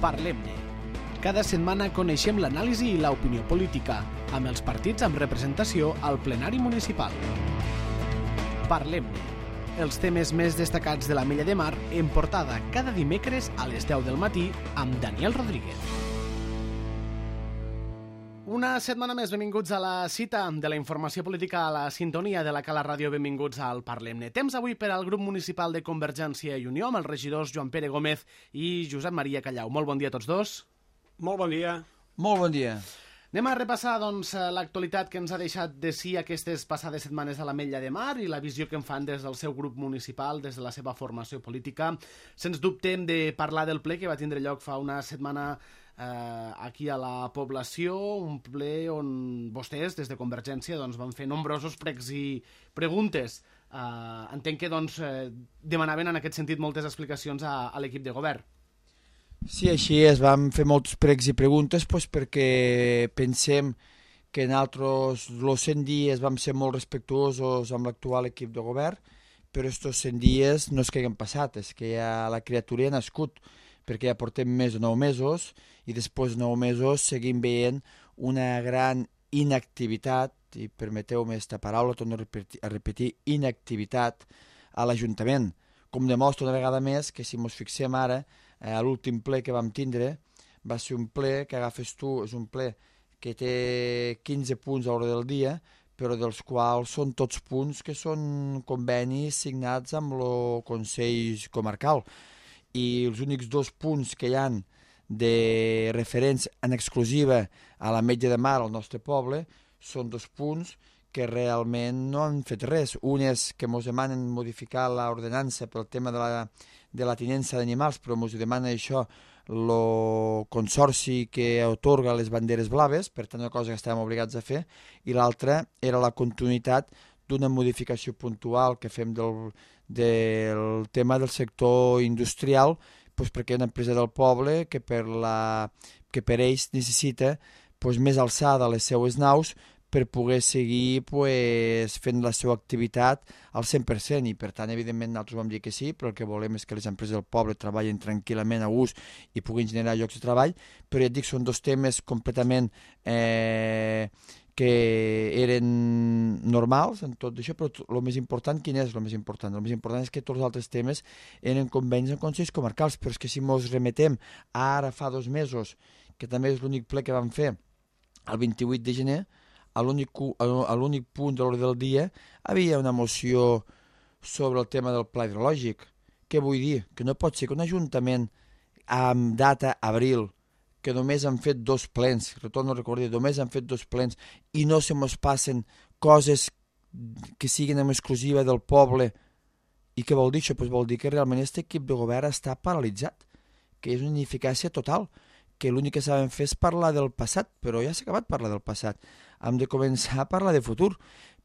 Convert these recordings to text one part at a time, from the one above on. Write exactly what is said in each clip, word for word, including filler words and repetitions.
Parlem-ne. Cada setmana coneixem l'anàlisi i l'opinió política, amb els partits amb representació al plenari municipal. Parlem-ne. Els temes més destacats de l'Ametlla de Mar en portada cada dimecres a les deu del matí amb Daniel Rodríguez. Una setmana més, benvinguts a la cita de la informació política a la sintonia de la Cala Ràdio. Benvinguts al Parlem-ne. Temps avui per al grup municipal de Convergència i Unió amb els regidors Joan Pere Gómez i Josep Maria Callau. Molt bon dia a tots dos. Molt bon dia. Molt bon dia. Anem a repassar doncs, l'actualitat que ens ha deixat de si aquestes passades setmanes a l'Ametlla de Mar i la visió que en fan des del seu grup municipal, des de la seva formació política. Sens dubte hem de parlar del ple que va tindre lloc fa una setmana eh, aquí a la població, un ple on vostès, des de Convergència, doncs, van fer nombrosos pregs i preguntes. Eh, entenc que doncs, eh, demanaven en aquest sentit moltes explicacions a, a l'equip de govern. Sí, així és, vam fer molts pregs i preguntes doncs, perquè pensem que en altres els cent dies vam ser molt respectuosos amb l'actual equip de govern, però aquests cent dies no és que hagin passat, és que ja la criatura ha nascut, perquè ja portem més de nou mesos i després de nou mesos seguim veient una gran inactivitat, i permeteu-me aquesta paraula, torno a repetir, a repetir inactivitat a l'Ajuntament, com demostra una vegada més que si ens fixem ara, a l'últim ple que vam tindre va ser un ple que agafes tu, és un ple que té quinze punts a l'hora del dia, però dels quals són tots punts que són convenis signats amb el Consell Comarcal. I els únics dos punts que hi han de referents en exclusiva a l'Ametlla de Mar, al nostre poble, són dos punts que realment no han fet res. Un és que ens demanen modificar l'ordenança pel tema de la, de la tinença d'animals, però ens demana això el consorci que atorga les banderes blaves, per tant una cosa que estàvem obligats a fer, i l'altra era la continuïtat d'una modificació puntual que fem del, del tema del sector industrial, doncs perquè hi ha una empresa del poble que per, la, que per ells necessita doncs, més alçada a les seues naus per poder seguir pues, fent la seva activitat al cent per cent, i per tant, evidentment, nosaltres vam dir que sí, però el que volem és que les empreses del poble treballen tranquil·lament a gust i puguin generar llocs de treball, però ja et dic, són dos temes completament eh, que eren normals en tot això, però el més important, quin és el més important? El més important és que tots els altres temes eren convenis en consells comarcals, però és que si ens remetem ara fa dos mesos, que també és l'únic ple que vam fer, el vint-i-vuit de gener, a l'únic punt de l'hora del dia havia una moció sobre el tema del pla hidrològic. Què vull dir? Que no pot ser que un ajuntament amb data abril, que només han fet dos plens, retorno a recordar, només han fet dos plens i no se mos passen coses que siguin en exclusiva del poble. I què vol dir això? Pues vol dir que realment aquest equip de govern està paralitzat, que és una ineficàcia total, que l'únic que sabem fer és parlar del passat, però ja s'ha acabat parlar del passat. Hem de començar a parlar de futur,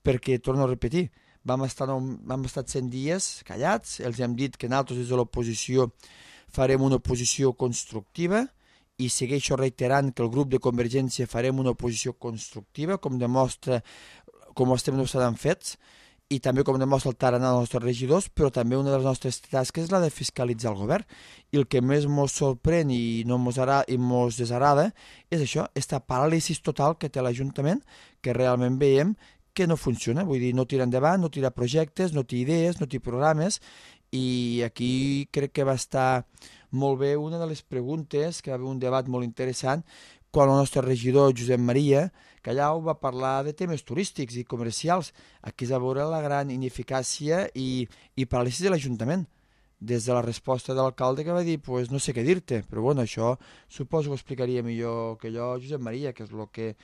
perquè, torno a repetir, vam estar, vam estar cent dies callats, els hem dit que nosaltres des de l'oposició farem una oposició constructiva i segueixo reiterant que el grup de Convergència farem una oposició constructiva, com demostra, com ho estem demostrant fets, i també com demostra el tarannà dels nostres regidors, però també una de les nostres tasques és la de fiscalitzar el govern. I el que més ens sorprèn i no ens desagrada és això, aquesta paràlisi total que té l'Ajuntament, que realment veiem que no funciona, vull dir, no tira endavant, no tira projectes, no té idees, no té programes, i aquí crec que va estar molt bé una de les preguntes, que va haver un debat molt interessant, quan el nostre regidor Josep Maria Callau va parlar de temes turístics i comercials. Aquí es va veure la gran ineficàcia i, i paràlisi de l'Ajuntament, des de la resposta de l'alcalde que va dir, pues no sé què dir-te, però bueno, això suposo que ho explicaria millor que jo Josep Maria, que és el que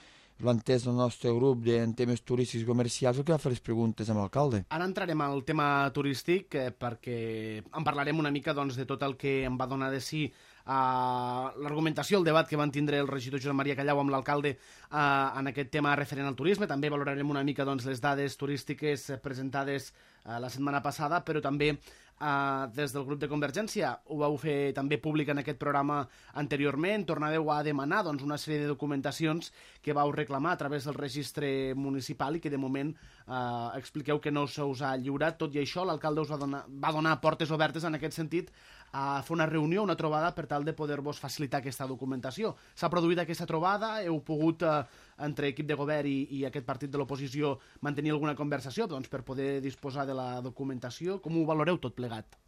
l'ha entès el nostre grup en temes turístics i comercials, el que va fer les preguntes amb l'alcalde. Ara entrarem al tema turístic eh, perquè en parlarem una mica doncs, de tot el que em va donar de si Uh, l'argumentació, el debat que van tindre el regidor Josep Maria Callau amb l'alcalde uh, en aquest tema referent al turisme. També valorarem una mica doncs, les dades turístiques presentades uh, la setmana passada, però també uh, des del grup de Convergència ho vau fer també públic en aquest programa anteriorment. Tornàveu a demanar doncs, una sèrie de documentacions que vau reclamar a través del registre municipal i que de moment eh, expliqueu que no se us ha lliurat. Tot i això, l'alcalde us va donar, va donar portes obertes en aquest sentit a fer una reunió, una trobada, per tal de poder-vos facilitar aquesta documentació. S'ha produït aquesta trobada, heu pogut, eh, entre equip de govern i, i aquest partit de l'oposició, mantenir alguna conversació doncs, per poder disposar de la documentació. Com ho valoreu tot plegat?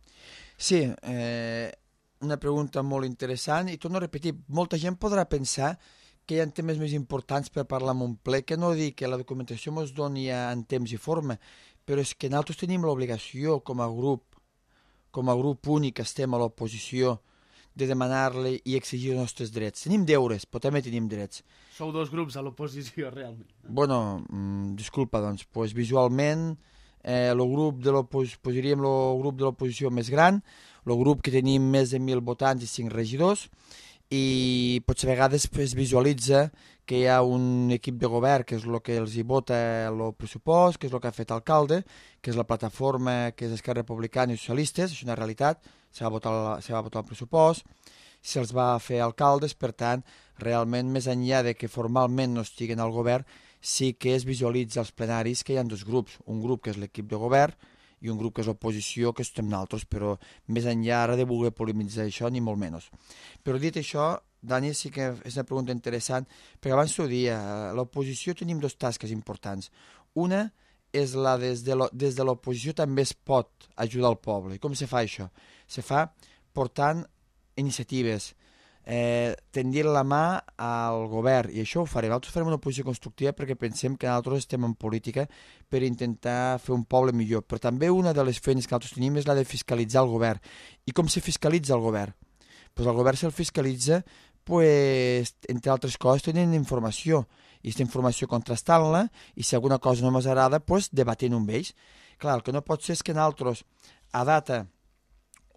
Sí, eh, una pregunta molt interessant, i torno a repetir, molta gent podrà pensar que hi ha temes més importants per parlar en un ple, que no dir que la documentació ens doni en temps i forma, però és que nosaltres tenim l'obligació com a grup, com a grup únic que estem a l'oposició, de demanar-li i exigir els nostres drets. Tenim deures, però també tenim drets. Sou dos grups a l'oposició, realment. Bueno, mm, disculpa, doncs, pues, visualment, eh, el grup de l'oposició, posaríem el grup de l'oposició més gran, el grup que tenim més de mil votants i cinc regidors, i potser a vegades es visualitza que hi ha un equip de govern que és el que els hi vota el pressupost, que és el que ha fet l'alcalde, que és la plataforma que és Esquerra Republicana i Socialistes, això és una realitat, se va votar, se va votar el pressupost, se'ls va fer alcaldes, per tant, realment, més enllà de que formalment no estiguen al govern, sí que es visualitza als plenaris que hi ha dos grups, un grup que és l'equip de govern i un grup que és l'oposició, que estem nosaltres, però més enllà ara de voler polemitzar això, ni molt menys. Però dit això, Dani, sí que és una pregunta interessant, perquè abans t'ho dia, a l'oposició tenim dos tasques importants. Una és la des de lo, des de l'oposició també es pot ajudar el poble. I com se fa això? Se fa portant iniciatives, eh, tendint la mà al govern, i això ho farem. Nosaltres farem una oposició constructiva perquè pensem que nosaltres estem en política per intentar fer un poble millor, però també una de les feines que nosaltres tenim és la de fiscalitzar el govern. I com se fiscalitza el govern? Pues el govern se'l fiscalitza, pues, entre altres coses, tenint informació, i aquesta informació contrastant-la, i si alguna cosa no ens agrada, pues, debatent amb ells. Clar, el que no pot ser és que nosaltres, a data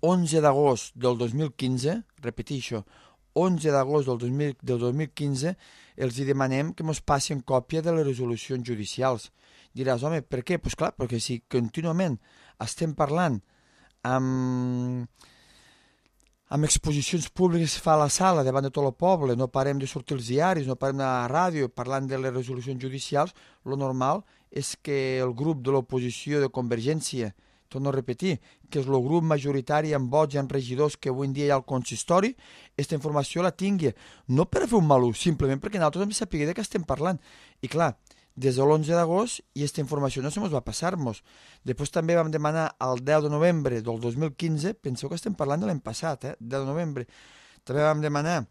onze d'agost del dos mil quinze, repeteixo, onze d'agost del, dos mil, del dos mil quinze, els hi demanem que ens passin còpia de les resolucions judicials. Diràs, home, per què? Doncs pues clar, perquè si contínuament estem parlant amb, amb exposicions públiques que fa a la sala davant de tot el poble, no parem de sortir als diaris, no parem de la ràdio parlant de les resolucions judicials, lo normal és que el grup de l'oposició de Convergència, torno a repetir, que és el grup majoritari en vots i en regidors que avui en dia hi ha al consistori, aquesta informació la tingui, no per fer un mal ús, simplement perquè nosaltres hem de saber de què estem parlant. I clar, des de l'onze d'agost i aquesta informació no se mos va passar-nos. Després també vam demanar el deu de novembre del dos mil quinze, penseu que estem parlant de l'any passat, eh? deu de novembre, també vam demanar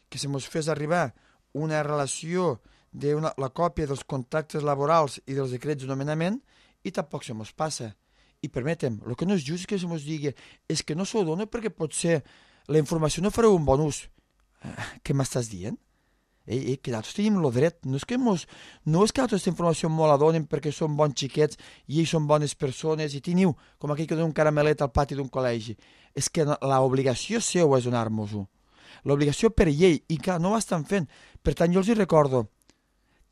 que se mos fes arribar una relació de una, la còpia dels contractes laborals i dels decrets de nomenament i tampoc se mos passa. I permetem, el que no és just que se mos digui és que no s'ho dona perquè potser la informació no fareu un bon ús. Eh, què m'estàs dient? Ei, ei, que nosaltres tenim el dret. No és que, mos, no és que nosaltres aquesta informació molt la donen perquè som bons xiquets i ells són bones persones i teniu com aquell que dona un caramelet al pati d'un col·legi. És que l'obligació seu és donar-nos-ho. L'obligació per llei. I clar, no ho estan fent. Per tant, jo els hi recordo,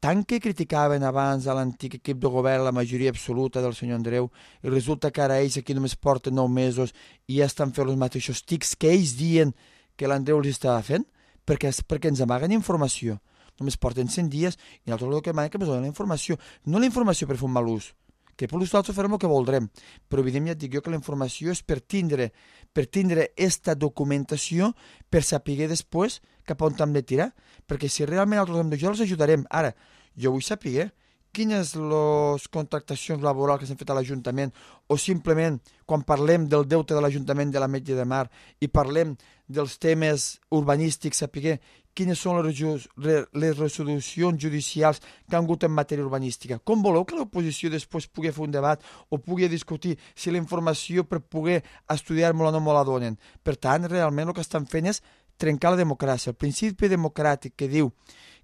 tant que criticaven abans a l'antic equip de govern la majoria absoluta del senyor Andreu i resulta que ara ells aquí només porten nou mesos i ja estan fent els mateixos tics que ells diuen que l'Andreu els estava fent, perquè, perquè ens amaguen informació. Només porten cent dies i nosaltres el que demanem que ens donen la informació. No la informació per fer un mal ús, que per l'ús nosaltres farem el que voldrem, però evidentment ja et dic jo que la informació és per tindre per tindre esta documentació per saber després cap on hem de tirar, perquè si realment nosaltres hem d'ajudar, els ajudarem. Ara, jo vull saber quines les contractacions laborals que s'han fet a l'Ajuntament o simplement quan parlem del deute de l'Ajuntament de l'Ametlla de Mar i parlem dels temes urbanístics, saber quines són les, les resolucions judicials que han hagut en matèria urbanística. Com voleu que l'oposició després pugui fer un debat o pugui discutir si la informació per poder estudiar-me-la no me la donen? Per tant, realment el que estan fent és trencar la democràcia. El principi democràtic que diu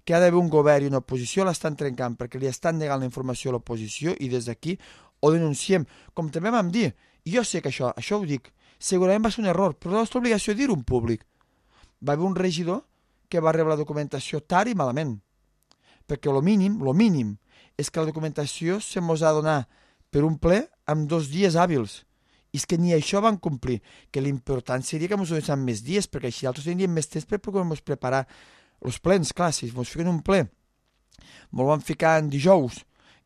que ha d'haver un govern i una oposició l'estan trencant perquè li estan negant la informació a l'oposició i des d'aquí ho denunciem. Com també vam dir, i jo sé que això, això ho dic, segurament va ser un error, però la nostra obligació és dir-ho en públic. Va haver un regidor que va rebre la documentació tard i malament, perquè el mínim, el mínim, és que la documentació se mos ha de donar per un ple amb dos dies hàbils. I és que ni això van complir, que l'important seria que ens donessin més dies, perquè així altres tindríem més temps per poder-nos preparar els plens. Clar, si ens fiquen un ple, ens van ficar en dijous,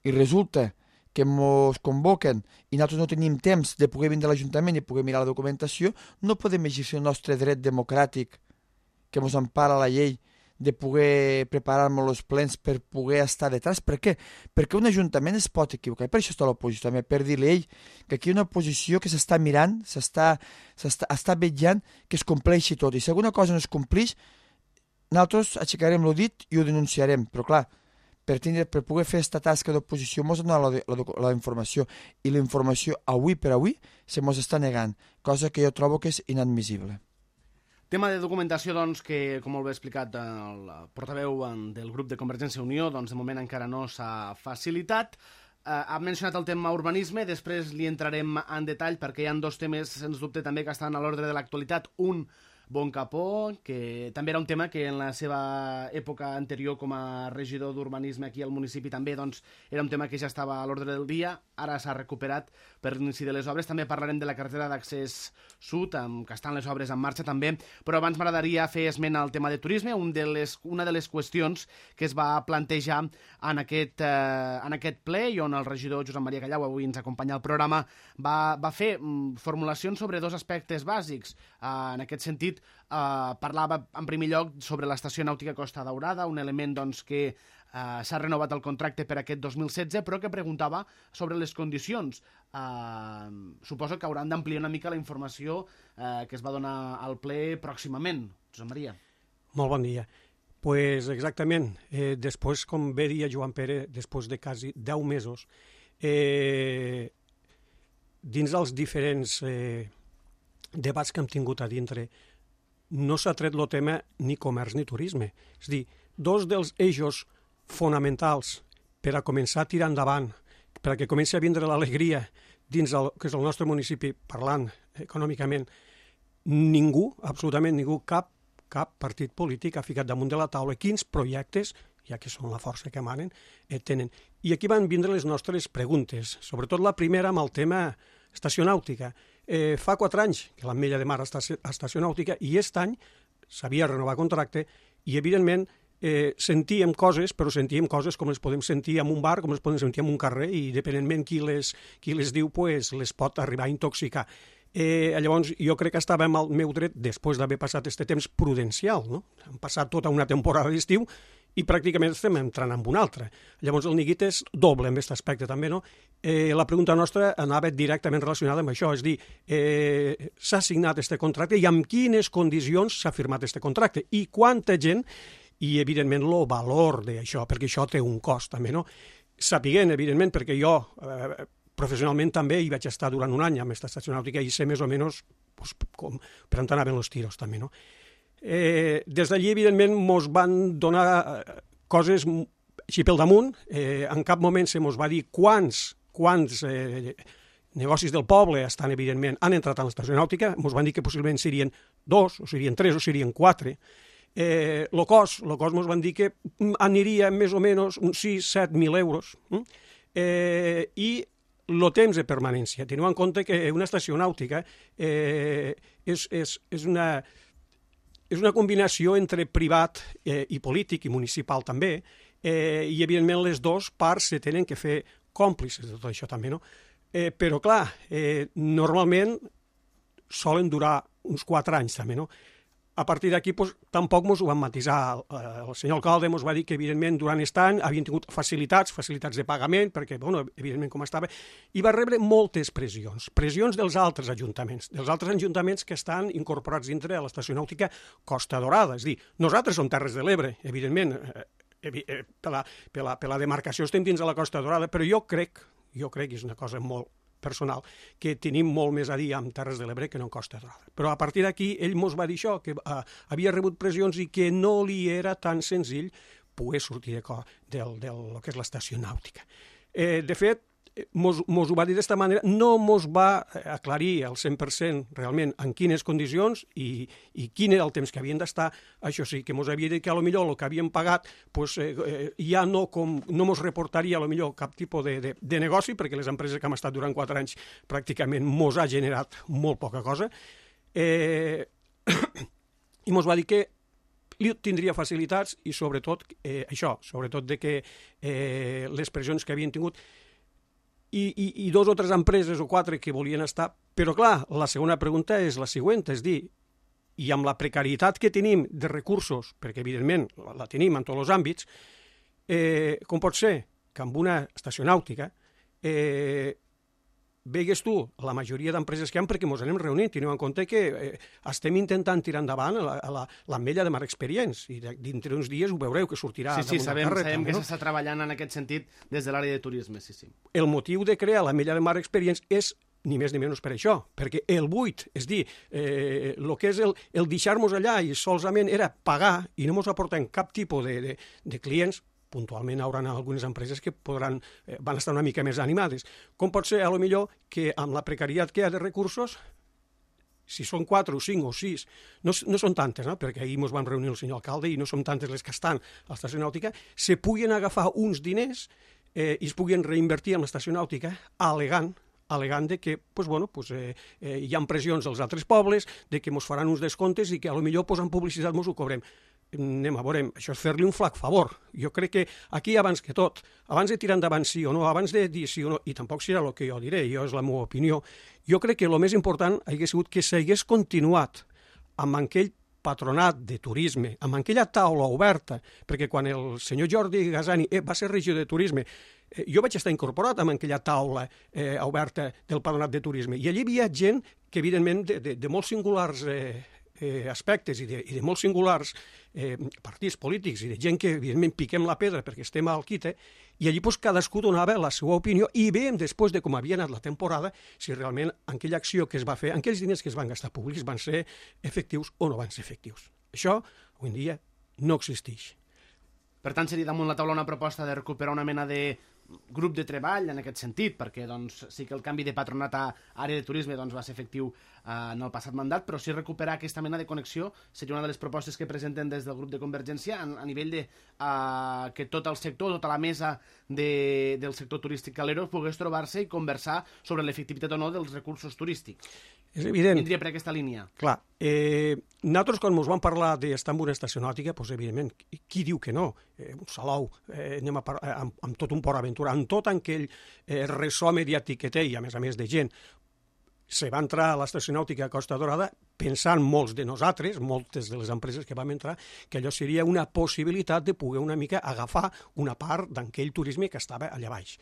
i resulta que ens convoquen i nosaltres no tenim temps de poder vindre a l'Ajuntament i poder mirar la documentació, no podem exercir el nostre dret democràtic que ens empara la llei de poder preparar-nos els plens per poder estar detrás. Per què? Perquè un ajuntament es pot equivocar, i per això està l'oposició també, per dir-li ell que aquí hi ha una oposició que s'està mirant, s'està està vetllant que es compleixi tot, i si alguna cosa no es compleix, nosaltres aixecarem el dit i ho denunciarem, però clar, per, tindre, per poder fer aquesta tasca d'oposició ens donar la, la, la informació, i la informació avui per avui se ens està negant, cosa que jo trobo que és inadmissible. Tema de documentació, doncs, que, com molt bé explicat el portaveu del grup de Convergència i Unió, doncs de moment encara no s'ha facilitat. Eh, ha mencionat el tema urbanisme, després li entrarem en detall perquè hi ha dos temes, sens dubte, també que estan a l'ordre de l'actualitat. Un, Bon Capó, que també era un tema que en la seva època anterior com a regidor d'urbanisme aquí al municipi també doncs, era un tema que ja estava a l'ordre del dia, ara s'ha recuperat per l'inici de les obres. També parlarem de la carretera d'accés sud, amb, que estan les obres en marxa també, però abans m'agradaria fer esment al tema de turisme, un de les, una de les qüestions que es va plantejar en aquest, eh, en aquest ple i on el regidor Josep Maria Callau, avui ens acompanya al programa, va, va fer mm, formulacions sobre dos aspectes bàsics. Eh, en aquest sentit, Uh, parlava en primer lloc sobre l'estació nàutica Costa Daurada, un element doncs, que uh, s'ha renovat el contracte per aquest dos mil setze, però que preguntava sobre les condicions. Uh, suposo que hauran d'ampliar una mica la informació uh, que es va donar al ple pròximament. Josep Maria. Molt bon dia. Pues exactament, eh, després, com bé dia Joan Pere, després de quasi deu mesos, eh, dins dels diferents eh, debats que hem tingut a dintre, no s'ha tret el tema ni comerç ni turisme. És a dir, dos dels eixos fonamentals per a començar a tirar endavant, per a que comenci a vindre l'alegria dins el que és el nostre municipi, parlant econòmicament, ningú, absolutament ningú, cap, cap partit polític ha ficat damunt de la taula quins projectes, ja que són la força que manen, eh, tenen. I aquí van vindre les nostres preguntes, sobretot la primera amb el tema estació nàutica. Eh, fa quatre anys que l'Ametlla de Mar està a estació nàutica i aquest any s'havia renovat contracte i, evidentment, eh, sentíem coses, però sentíem coses com les podem sentir en un bar, com les podem sentir en un carrer, i dependentment qui les, qui les diu, pues, les pot arribar a intoxicar. Eh, llavors, jo crec que estava en el meu dret, després d'haver passat aquest temps prudencial, no? Hem passat tota una temporada d'estiu i pràcticament estem entrant en un altre. Llavors el neguit és doble en aquest aspecte també, no? Eh, la pregunta nostra anava directament relacionada amb això, és dir, eh, s'ha signat aquest contracte i amb quines condicions s'ha firmat aquest contracte i quanta gent, i evidentment el valor d'això, perquè això té un cost també, no? Sapiguent, evidentment, perquè jo eh, professionalment també hi vaig estar durant un any amb aquesta estació nàutica i sé més o menys pues, com, per on anaven els tiros també, no? Eh, des d'allí, evidentment, mos van donar eh, coses així pel damunt. Eh, en cap moment se mos va dir quants, quants eh, negocis del poble estan, evidentment, han entrat a l'estació nàutica. Mos van dir que possiblement serien dos, o serien tres, o serien quatre. Eh, lo cost, lo cost mos van dir que aniria més o menys uns sis a set mil euros. Eh, I el temps de permanència. Teniu en compte que una estació nàutica eh, és, és, és una... És una combinació entre privat eh, i polític i municipal també, eh, i evidentment les dues parts se tenen que fer còmplices de tot això també, no? Eh, però clar, eh, normalment solen durar uns quatre anys també, no? A partir d'aquí pues, tampoc ens ho van matisar. El senyor alcalde ens va dir que evidentment durant aquest any havien tingut facilitats, facilitats de pagament, perquè bueno, evidentment com estava, i va rebre moltes pressions, pressions dels altres ajuntaments, dels altres ajuntaments que estan incorporats dintre de l'estació nàutica Costa Daurada. És a dir, nosaltres som Terres de l'Ebre, evidentment, eh, eh, per, la, per, la, per la demarcació estem dins de la Costa Daurada, però jo crec, jo crec que és una cosa molt personal, que tenim molt més a dir amb Terres de l'Ebre que no en Costa Daurada. Però a partir d'aquí ell mos va dir això, que uh, havia rebut pressions i que no li era tan senzill poder sortir de, del, del, del que és l'estació nàutica. Eh, de fet, mos, mos ho va dir d'esta manera, no mos va aclarir al cent per cent realment en quines condicions i, i quin era el temps que havien d'estar. Això sí, que mos havia dit que a lo millor el que havien pagat pues, eh, ja no, com, no mos reportaria a lo millor cap tipus de, de, de negoci, perquè les empreses que hem estat durant quatre anys pràcticament mos ha generat molt poca cosa. Eh, I mos va dir que tindria facilitats i sobretot eh, això, sobretot de que eh, les pressions que havien tingut. i, i, i dos o tres empreses o quatre que volien estar. Però, clar, la segona pregunta és la següent, és dir, i amb la precarietat que tenim de recursos, perquè, evidentment, la tenim en tots els àmbits, eh, com pot ser que amb una estació nàutica eh, vegues tu la majoria d'empreses que hi ha, perquè ens anem reunint, teniu en compte que eh, estem intentant tirar endavant l'ametlla de Mar Experience, i dintre uns dies ho veureu, que sortirà sí, sí, damunt sabem, la carreta. Sabem que no? s'està treballant en aquest sentit des de l'àrea de turisme, sí, sí. El motiu de crear l'ametlla de Mar Experience és ni més ni menys per això, perquè el buit, és dir, eh, el que és el, el deixar-nos allà i solament era pagar i no ens aporten cap tipus de, de, de clients, puntualment hi haurà algunes empreses que podran, eh, van estar una mica més animades. Com pot ser, a lo millor, que amb la precarietat que hi ha de recursos, si són quatre o cinc o sis, no, no són tantes, no? Perquè ahir ens vam reunir el senyor alcalde i no són tantes les que estan a l'estació nàutica, se puguen agafar uns diners eh, i es puguen reinvertir en l'estació nàutica alegant alegant de que pues, bueno, pues, eh, eh, hi ha pressions als altres pobles, de que ens faran uns descomptes i que a lo millor posant publicitat ens ho cobrem. Anem a veure, això és fer-li un flac favor. Jo crec que aquí, abans que tot, abans de tirar endavant sí o no, abans de dir sí o no, i tampoc serà el que jo diré, jo és la meva opinió, jo crec que el més important hauria sigut que s'hagués continuat amb aquell patronat de turisme, amb aquella taula oberta, perquè quan el senyor Jordi Gasani eh, va ser regidor de turisme, eh, jo vaig estar incorporat amb aquella taula eh, oberta del patronat de turisme, i allí hi havia gent que, evidentment, de, de, de molts singulars eh, eh, aspectes i de, i de molts singulars eh, partits polítics i de gent que, evidentment, piquem la pedra perquè estem al quite, i allí pues, cadascú donava la seva opinió i veiem després de com havia anat la temporada si realment aquella acció que es va fer, aquells diners que es van gastar públics van ser efectius o no van ser efectius. Això, avui en dia, no existeix. Per tant, seria damunt la taula una proposta de recuperar una mena de grup de treball en aquest sentit, perquè doncs, sí que el canvi de patronat a àrea de turisme doncs, va ser efectiu eh, en el passat mandat, però sí recuperar aquesta mena de connexió seria una de les propostes que presenten des del grup de Convergència a, a nivell de eh, que tot el sector, tota la mesa de, del sector turístic calero pogués trobar-se i conversar sobre l'efectivitat o no dels recursos turístics. És evident. Vindria per aquesta línia. Clar, eh, nosaltres quan ens vam parlar d'estar en una estació nàutica, doncs, evidentment, qui diu que no? Eh, un Salou, eh, anem a par eh, amb, amb tot un Port Aventura, amb tot aquell eh, ressò mediàtic que té, i a més a més de gent, se va entrar a l'estació nàutica a Costa Dorada pensant molts de nosaltres, moltes de les empreses que vam entrar, que allò seria una possibilitat de poder una mica agafar una part d'aquell turisme que estava allà baix.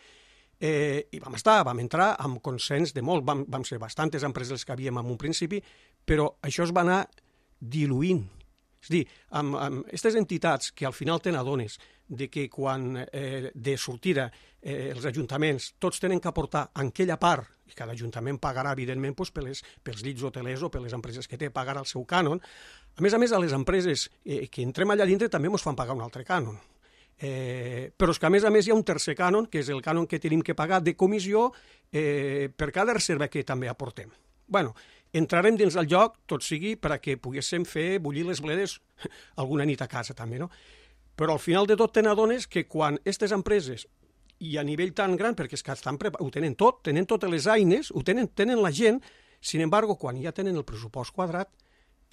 Eh, I vam estar, vam entrar amb consens de molt, vam, vam ser bastantes empreses que havíem en un principi, però això es va anar diluint. És a dir, amb, amb aquestes entitats que al final te n'adones de que quan eh, de sortida eh, els ajuntaments tots tenen que aportar en aquella part, i cada ajuntament pagarà, evidentment, doncs, per les, pels llits hotelers o per les empreses que té, pagarà el seu cànon. A més a més, a les empreses eh, que entrem allà dintre també ens fan pagar un altre cànon. Eh, però és que a més a més hi ha un tercer cànon, que és el cànon que tenim que pagar de comissió eh, per cada reserva que també aportem. Bueno, entrarem dins del joc, tot sigui per a que poguéssim fer bullir les bledes alguna nit a casa també, no? Però al final de tot te n'adones que quan aquestes empreses, i a nivell tan gran, perquè és que estan ho tenen tot, tenen totes les eines, ho tenen, tenen la gent, sin embargo, quan ja tenen el pressupost quadrat,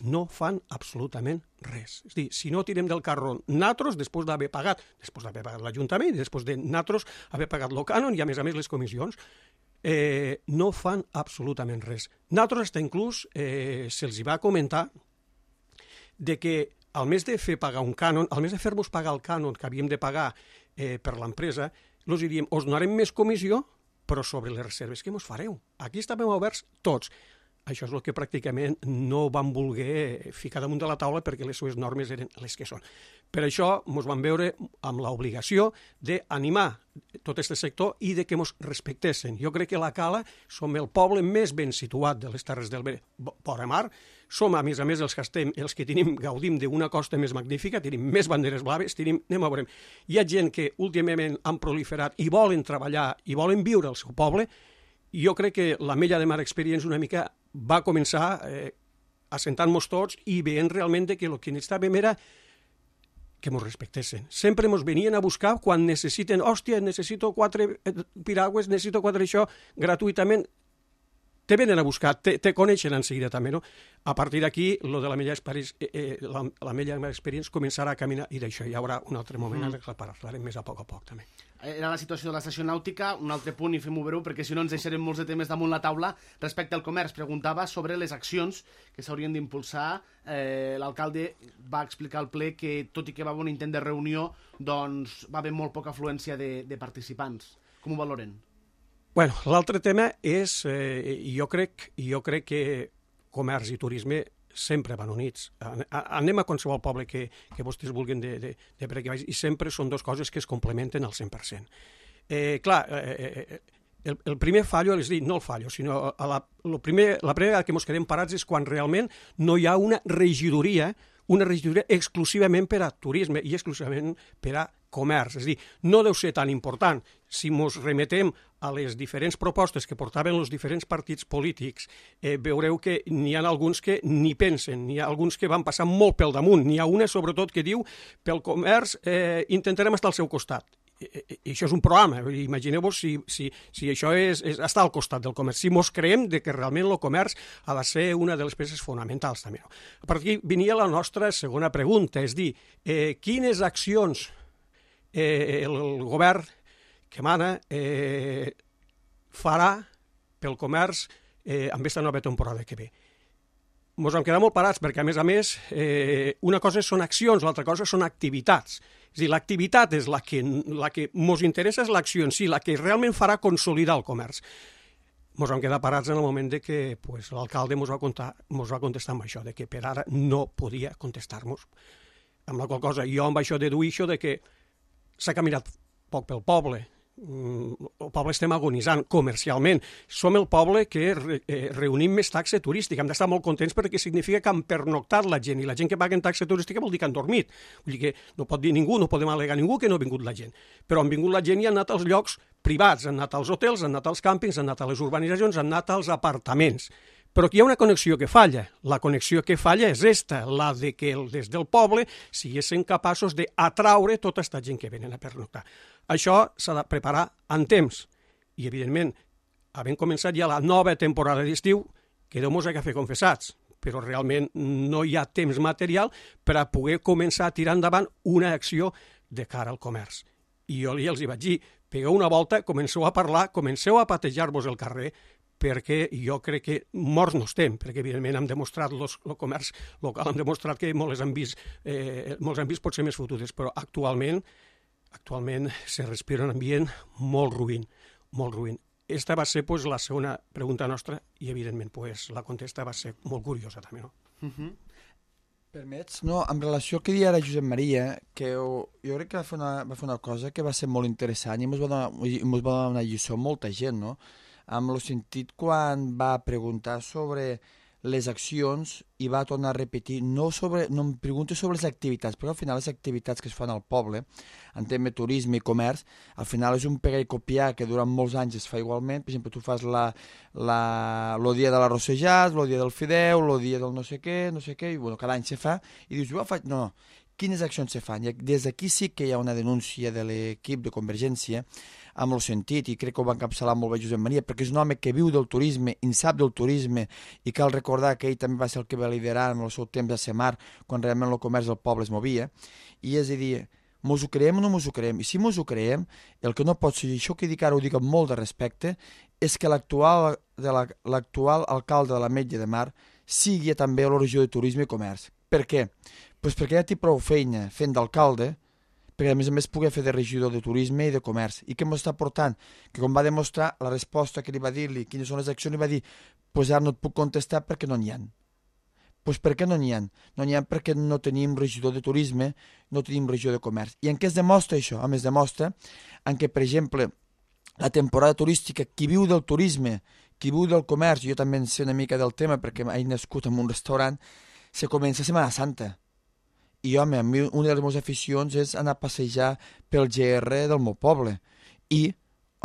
no fan absolutament res. És a dir, si no tirem del carro natros, després d'haver pagat, després d'haver pagat l'Ajuntament, després de natros haver pagat el cànon i, a més a més, les comissions, eh, no fan absolutament res. Natros, hasta inclús, eh, se'ls va comentar de que al mes de fer pagar un cànon, al mes de fer-vos pagar el cànon que havíem de pagar eh, per l'empresa, els diríem, us donarem més comissió, però sobre les reserves que mos fareu. Aquí estàvem oberts tots. Això és el que pràcticament no van voler ficar damunt de la taula perquè les seves normes eren les que són. Per això ens vam veure amb l'obligació d'animar tot aquest sector i de que ens respectessin. Jo crec que la Cala som el poble més ben situat de les Terres del Vora Mar. Som, a més a més, els que, estem, els que tenim, gaudim d'una costa més magnífica, tenim més banderes blaves, tenim, anem a veure. Hi ha gent que últimament han proliferat i volen treballar i volen viure al seu poble. Jo crec que l'Ametlla de Mar Experience una mica va començar eh, assentant-nos tots i veient realment que el que necessitàvem era que ens respectessin. Sempre ens venien a buscar quan necessiten, hòstia, necessito quatre piragües, necessito quatre això, gratuïtament. te venen a buscar, te, te coneixen en seguida també, no? A partir d'aquí, lo de la Mella Experience, eh, eh, la, la Mella Experience començarà a caminar, i d'això hi haurà un altre moment mm. en què parlarem més a poc a poc, també. Era la situació de l'estació nàutica, un altre punt, i fem-ho breu, perquè si no ens deixarem molts de temes damunt la taula. Respecte al comerç, preguntava sobre les accions que s'haurien d'impulsar. Eh, L'alcalde va explicar al ple que, tot i que va haver un intent de reunió, doncs va haver molt poca afluència de, de participants. Com ho valoren? Bueno, l'altre tema és, eh, jo, crec, jo crec que comerç i turisme sempre van units. Anem a qualsevol poble que, que vostès vulguin de, de, de per aquí baix, i sempre són dues coses que es complementen al cent per cent. Eh, clar, eh, el, el primer fallo, és dir, no el fallo, sinó a la, lo primer, la primera vegada que ens quedem parats és quan realment no hi ha una regidoria, una regidoria exclusivament per a turisme i exclusivament per a comerç. És a dir, no deu ser tan important. Si ens remetem a les diferents propostes que portaven els diferents partits polítics, eh, veureu que n'hi ha alguns que ni pensen, n'hi ha alguns que van passar molt pel damunt. N'hi ha una, sobretot, que diu pel comerç eh, intentarem estar al seu costat. I, i, i això és un programa. Imagineu-vos si, si, si això és, és estar al costat del comerç. Si mos creiem de que realment el comerç ha de ser una de les peces fonamentals, també. A partir d'aquí venia la nostra segona pregunta, és dir, eh, quines accions eh, el, el govern que mana eh, farà pel comerç eh, amb aquesta nova temporada que ve. Ens hem quedat molt parats perquè, a més a més, eh, una cosa són accions, l'altra cosa són activitats. És a dir, l'activitat és la que, la que ens interessa, és l'acció en si, la que realment farà consolidar el comerç. Ens hem quedat parats en el moment de que pues, l'alcalde ens va, contar, ens va contestar amb això, de que per ara no podia contestar-nos. Amb la qual cosa jo amb això deduïo això de que s'ha caminat poc pel poble. El poble estem agonitzant comercialment. Som el poble que re, eh, reunim més taxa turística. Hem d'estar molt contents perquè significa que han pernoctat la gent, i la gent que paga en taxa turística vol dir que han dormit. Vull dir que no pot dir ningú, no podem al·legar ningú que no ha vingut la gent. Però han vingut la gent i han anat als llocs privats, han anat als hotels, han anat als càmpings, han anat a les urbanitzacions, han anat als apartaments. Però aquí hi ha una connexió que falla. La connexió que falla és esta, la de que des del poble siguessin capaços d'atraure tota aquesta gent que venen a pernoctar. Això s'ha de preparar en temps. I, evidentment, havent començat ja la nova temporada d'estiu, que Déu mos ha de fer confessats, però realment no hi ha temps material per a poder començar a tirar endavant una acció de cara al comerç. I jo ja els hi vaig dir, pegueu una volta, comenceu a parlar, comenceu a patejar-vos el carrer, perquè jo crec que morts no estem, perquè evidentment hem demostrat, el comerç local hem demostrat que molts han vist, eh, molts han vist potser més fotudes, però actualment, actualment se respira un ambient molt ruïn, molt ruïn. Esta va ser pues, la segona pregunta nostra i evidentment pues, la contesta va ser molt curiosa també, no? Uh-huh. Permets? No, en relació al que deia ara Josep Maria, que jo, jo crec que va fer, una, va fer una cosa que va ser molt interessant i ens va donar, ens va donar una lliçó a molta gent, no? Amb el sentit quan va preguntar sobre les accions i va tornar a repetir, no, sobre, no em pregunti sobre les activitats, perquè al final les activitats que es fan al poble, en tema de turisme i comerç, al final és un pegar i copiar que durant molts anys es fa igualment. Per exemple, tu fas la, la, el dia de l'arròs sejat, el dia del fideu, el dia del no sé què, no sé què, i bueno, cada any se fa, i dius, jo faig... No, no, quines accions se fan? I des d'aquí sí que hi ha una denúncia de l'equip de Convergència, amb el sentit, i crec que ho va encapçalar molt bé Josep Maria, perquè és un home que viu del turisme, en sap del turisme, i cal recordar que ell també va ser el que va liderar en el seu temps a Semar, quan realment el comerç del poble es movia, i és a dir, mos ho creiem o no mos ho creiem? I si mos ho creiem, el que no pot ser, i això que dic ara ho dic amb molt de respecte, és que l'actual l'actual alcalde de l'Ametlla de Mar sigui també a la regió de turisme i comerç. Per què? Pues perquè ja té prou feina fent d'alcalde, perquè a més a més pugui fer de regidor de turisme i de comerç. I què ens està portant? Que com va demostrar la resposta que li va dir-li, quines són les accions, li va dir, pues ara no et puc contestar perquè no n'hi ha. Pues per què no n'hi ha? No n'hi ha perquè no tenim regidor de turisme, no tenim regidor de comerç. I en què es demostra això? A més, demostra en què, per exemple, la temporada turística, qui viu del turisme, qui viu del comerç, jo també en sé una mica del tema perquè he nascut en un restaurant, se comença a Setmana Santa. I, home, a mi una de les meves aficions és anar a passejar pel G R del meu poble. I,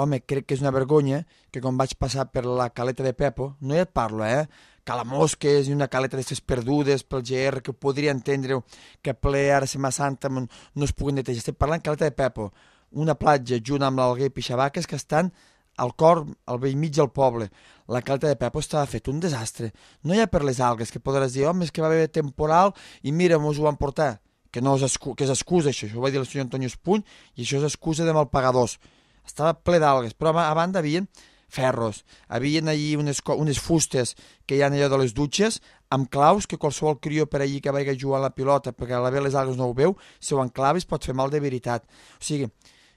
home, crec que és una vergonya que quan vaig passar per la caleta de Pepo, no hi et parlo, eh? Calamosques i una caleta d'aquestes perdudes pel G R, que podria entendre que ple ara Setmana Santa no es puguin netejar. Estic parlant caleta de Pepo, una platja junt amb l'Alguer i Pixabaques que estan al cor, al vell mig del poble, la caleta de Pepo estava fet un desastre. No hi ha per les algues, que podràs dir, home, és que va haver temporal i mira, mos ho van portar. Que, no és, excu que és excusa, això. Això ho va dir el senyor Antonio Espuny i això és excusa de malpagadors. Estava ple d'algues, però a banda havien ferros, havien allí unes, unes fustes que hi ha allò de les dutxes, amb claus, que qualsevol crió per allí que vagi a jugar a la pilota, perquè a la ve les algues no ho veu, si ho enclaves pot fer mal de veritat. O sigui,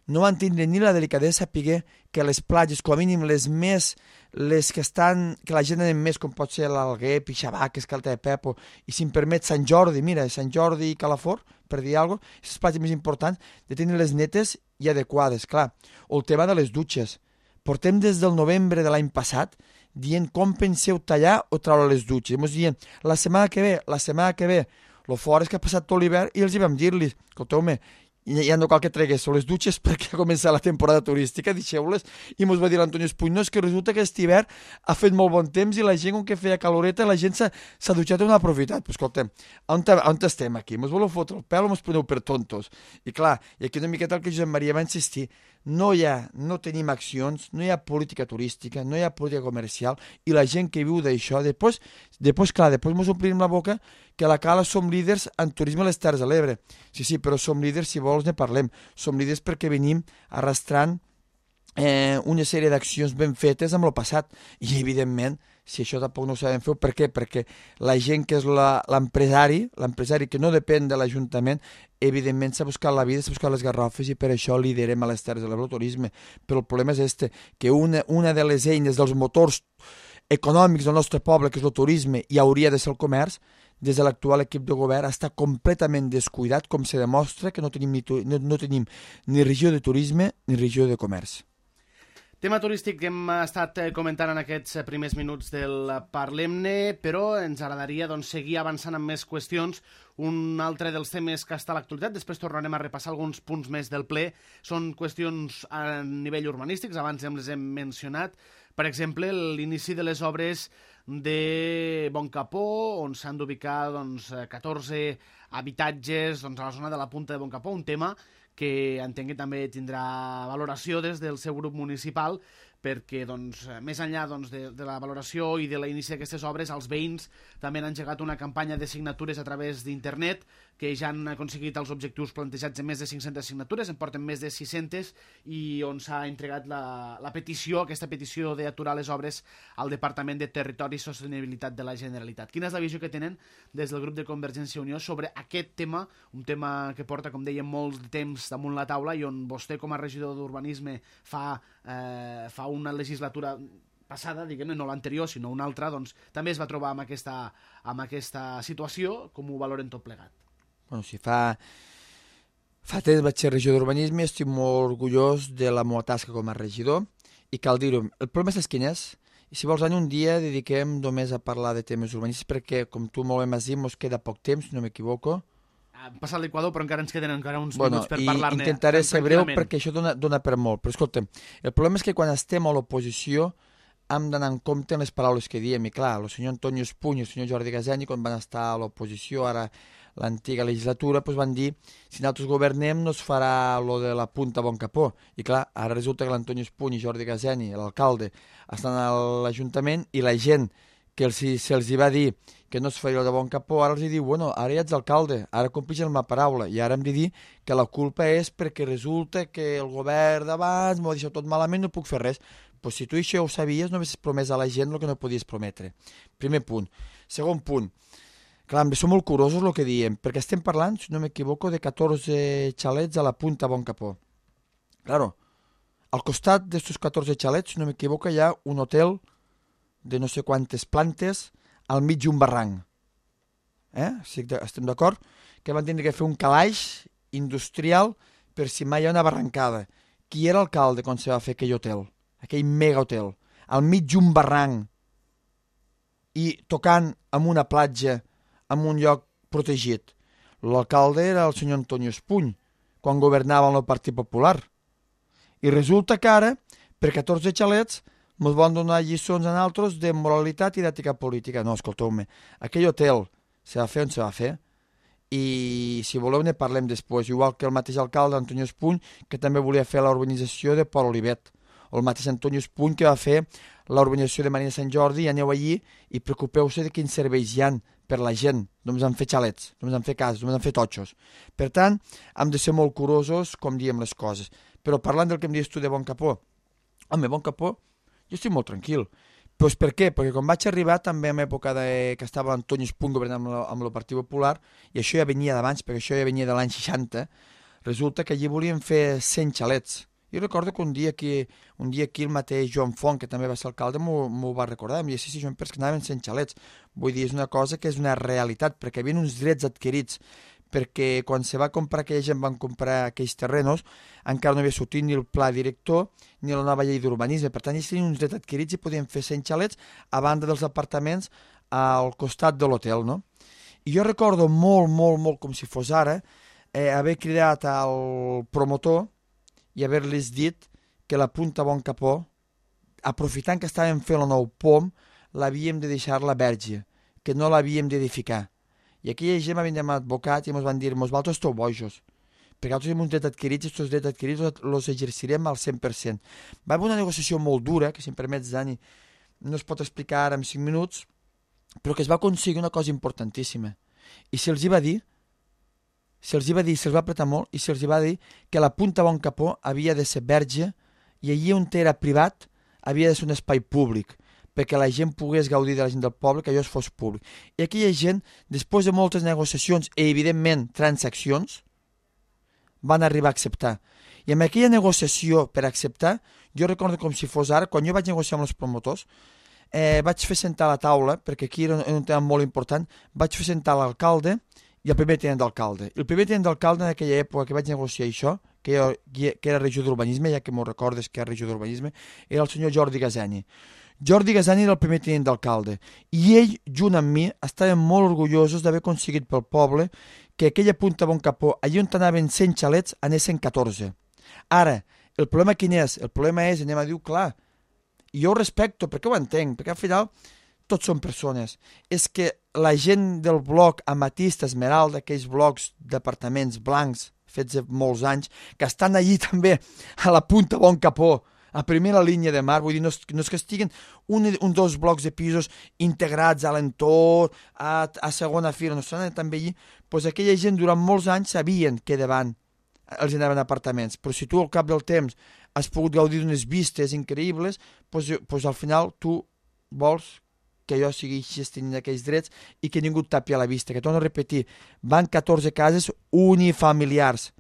no van tindre ni la delicadesa de saber que les platges, com a mínim les més, les que estan, que la gent anem més, com pot ser l'Alguer, Pixabaques, Caleta de Pepo, i si em permet Sant Jordi, mira, Sant Jordi i Calafort, per dir alguna cosa, aquestes platges més importants, de tenir les netes i adequades, clar. O el tema de les dutxes. Portem des del novembre de l'any passat dient com penseu tallar o treure les dutxes. Ens dient, la setmana que ve, la setmana que ve, lo fort és que ha passat tot l'hivern i els hi vam dir-los, escolteu-me, ja no cal que treguéssiu les dutxes perquè ha començat la temporada turística, deixeu-les, i ens va dir l'Antonio Espuny, no, és que resulta que aquest hivern ha fet molt bon temps i la gent, com que feia caloreta, la gent s'ha dutxat i no ha aprofitat. Però escolta'm, on, on estem aquí? Ens voleu fotre el pèl o ens preneu per tontos? I clar, i aquí una miqueta el que Josep Maria va insistir, no hi ha, no tenim accions, no hi ha política turística, no hi ha política comercial, i la gent que viu d'això, després, després, clar, després ens omplim la boca que a la Cala som líders en turisme a les Terres de l'Ebre. Sí, sí, però som líders, si vols ne parlem, som líders perquè venim arrastrant eh, una sèrie d'accions ben fetes amb el passat, i evidentment, si això tampoc no ho sabem fer, per què? Perquè la gent que és l'empresari, l'empresari que no depèn de l'Ajuntament, evidentment s'ha buscat la vida, s'ha buscat les garrofes i per això liderem a les Terres de l'Ebre el turisme. Però el problema és este, que una, una de les eines dels motors econòmics del nostre poble, que és el turisme, i hauria de ser el comerç, des de l'actual equip de govern està completament descuidat, com se demostra que no tenim ni, no, no tenim ni regió de turisme ni regió de comerç. Tema turístic que hem estat comentant en aquests primers minuts del Parlem-ne, però ens agradaria doncs, seguir avançant amb més qüestions. Un altre dels temes que està a l'actualitat, després tornarem a repassar alguns punts més del ple, són qüestions a nivell urbanístics, abans ja les hem mencionat. Per exemple, l'inici de les obres de Boncapó, on s'han d'ubicar doncs, catorze habitatges doncs, a la zona de la Punta de Boncapó, un tema que entenc que també tindrà valoració des del seu grup municipal, perquè doncs, més enllà doncs, de, de la valoració i de l'inici d'aquestes obres, els veïns també han engegat una campanya de signatures a través d'internet, que ja han aconseguit els objectius plantejats en més de cinc-centes signatures, en porten més de sis-centes, i on s'ha entregat la, la petició, aquesta petició d'aturar les obres al Departament de Territori i Sostenibilitat de la Generalitat. Quina és la visió que tenen des del grup de Convergència i Unió sobre aquest tema, un tema que porta, com dèiem, molt temps damunt la taula i on vostè, com a regidor d'Urbanisme, fa, eh, fa una legislatura passada, diguem-ne, no l'anterior, sinó una altra, doncs també es va trobar amb aquesta, amb aquesta situació. Com ho valoren tot plegat? Bueno, si fa, fa temps vaig ser regidor d'Urbanisme, estic molt orgullós de la meva tasca com a regidor, i cal dir-ho, el problema és quin és, i si vols, un dia dediquem només a parlar de temes urbanístics, perquè, com tu molt bé m'has dit, ens queda poc temps, si no m'equivoco. Hem passat l'Equador, però encara ens queden encara uns bueno, minuts per parlar-ne. Intentaré ser breu perquè això dona, dona per molt. Però escolta'm, el problema és que quan estem a l'oposició hem d'anar en compte en les paraules que diem. I clar, el senyor Antonio Espuny i el senyor Jordi Gazeni, quan van estar a l'oposició, ara l'antiga legislatura, doncs van dir si nosaltres governem no es farà lo de la Punta Boncapó. I clar, ara resulta que l'Antonio Espuny i Jordi Gazeni, l'alcalde, estan a l'Ajuntament i la gent que se'ls si va dir que no es faria el de Boncapó, ara els diu, bueno, ara ja ets alcalde, ara complix la meva paraula, i ara hem de dir que la culpa és perquè resulta que el govern d'abans m'ho ha deixat tot malament, no puc fer res. Pues si tu això ho sabies, no havies promès a la gent el que no podies prometre. Primer punt. Segon punt. Clar, som molt curosos el que diem, perquè estem parlant, si no m'equivoco, de catorze xalets a la Punta Boncapó. Claro, al costat d'estos catorze xalets, si no m'equivoco, hi ha un hotel de no sé quantes plantes al mig d'un barranc. Eh? Estem d'acord? Que van tindre que fer un calaix industrial per si mai hi ha una barrancada. Qui era alcalde quan se va fer aquell hotel? Aquell mega hotel. Al mig d'un barranc i tocant amb una platja en un lloc protegit. L'alcalde era el senyor Antonio Espuny, quan governava el Partit Popular. I resulta que ara, per catorze xalets, ens van donar lliçons a nosaltres de moralitat i d'ètica política. No, escolteu-me, aquell hotel se va fer on se va fer, i si voleu ne parlem després, igual que el mateix alcalde, Antonio Espuny, que també volia fer la urbanització de Port Olivet, o el mateix Antonio Espuny, que va fer la urbanització de Marina Sant Jordi, i aneu allí i preocupeu-se de quins serveis hi han per la gent. Només han fet xalets, només han fet cases, només han fet totxos. Per tant, hem de ser molt curosos com diem les coses. Però parlant del que em dius tu de Bon Capó, home, Bon Capó, jo estic molt tranquil. Pues per què? Perquè quan vaig arribar també en època de, que estava Antonio Espuny governant amb, la, amb el Partit Popular, i això ja venia d'abans, perquè això ja venia de l'any seixanta, resulta que allí volien fer cent xalets. Jo recordo que un dia aquí, un dia aquí el mateix Joan Font, que també va ser alcalde, m'ho va recordar, em deia, sí, sí, Joan, però és que anaven cent xalets. Vull dir, és una cosa que és una realitat, perquè hi havia uns drets adquirits, perquè quan se va comprar, aquella gent van comprar aquells terrenos, encara no havia sortit ni el pla director ni la nova llei d'urbanisme. Per tant, ells tenien uns drets adquirits i podien fer cent xalets a banda dels apartaments al costat de l'hotel, no? I jo recordo molt, molt, molt, com si fos ara, eh, haver cridat al promotor i haver-los dit que la Punta Bon Capó, aprofitant que estàvem fent el nou pom, l'havíem de deixar-la verge, que no l'havíem d'edificar. I aquella gent m'havien demanat advocat i ens van dir, vosaltres esteu bojos, perquè nosaltres hem un dret adquirits i aquests drets adquirits els exercirem al cent per cent. Va haver una negociació molt dura, que si em permets, Dani, no es pot explicar ara en cinc minuts, però que es va aconseguir una cosa importantíssima. I se'ls hi va dir, se'ls hi va dir, se'ls va apretar molt, i se'ls hi va dir que la Punta Bon Capó havia de ser verge i allí on era privat havia de ser un espai públic, perquè la gent pogués gaudir de la gent del poble, que allò es fos públic. I aquella gent, després de moltes negociacions i, evidentment, transaccions, van arribar a acceptar. I amb aquella negociació per acceptar, jo recordo com si fos ara, quan jo vaig negociar amb els promotors, eh, vaig fer sentar a la taula, perquè aquí era un, un tema molt important, vaig fer sentar l'alcalde i el primer tinent d'alcalde. El primer tinent d'alcalde en aquella època que vaig negociar això, que, jo, que era regidor d'urbanisme, ja que m'ho recordes que era regidor d'urbanisme, era el senyor Jordi Gazani. Jordi Gazani era el primer tinent d'alcalde i ell, junt amb mi, estaven molt orgullosos d'haver aconseguit pel poble que aquella Punta Bon Capó, allà on anaven cent xalets, anessin catorze. Ara, el problema quin és? El problema és, anem a dir clar, i jo ho respecto, perquè ho entenc, perquè al final tots són persones. És que la gent del bloc Amatista Esmeralda, aquells blocs d'apartaments blancs fets de molts anys, que estan allí també a la Punta Bon Capó, a primera línia de mar, vull dir, no és, no és que estiguen un, un dos blocs de pisos integrats a l'entorn, a, a segona fila, no estan també allí, doncs aquella gent durant molts anys sabien que davant els anaven apartaments, però si tu al cap del temps has pogut gaudir d'unes vistes increïbles, doncs, doncs al final tu vols que allò segueixis tenint aquells drets i que ningú et tapi a la vista, que torno a repetir, van catorze cases unifamiliars,